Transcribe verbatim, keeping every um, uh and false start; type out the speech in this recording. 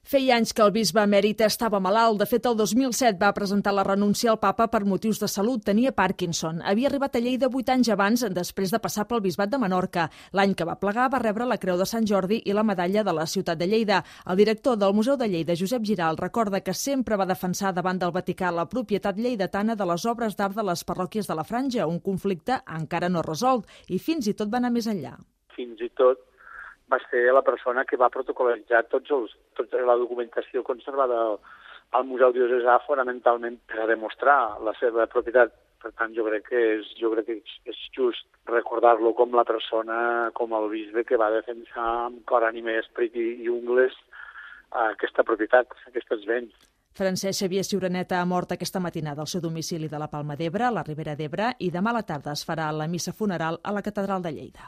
Feia anys que el bisbe emèrit estava malalt. De fet, el dos mil set va presentar la renúncia al papa per motius de salut. Tenia Parkinson. Havia arribat a Lleida vuit anys abans, després de passar pel bisbat de Menorca. L'any que va plegar va rebre la Creu de Sant Jordi i la medalla de la ciutat de Lleida. El director del Museu de Lleida, Josep Giral, recorda que sempre va defensar davant del Vaticà la propietat lleidatana de les obres d'art de les parròquies de la Franja, un conflicte encara no resolt, i fins i tot va anar més enllà. Fins i tot va ser la persona que va protocol·litzar tots els, tota la documentació conservada al, al Museu Diocesà fonamentalment per a demostrar la seva propietat. Per tant, jo crec que és, jo crec que és just recordar-lo com la persona, com el bisbe que va defensar amb cor, ànima, esperit i, i ungles aquesta propietat, aquests béns. Francesc Xavier Ciuraneta ha mort aquesta matinada al seu domicili de la Palma d'Ebre, a la Ribera d'Ebre, i demà a la tarda es farà la missa funeral a la Catedral de Lleida.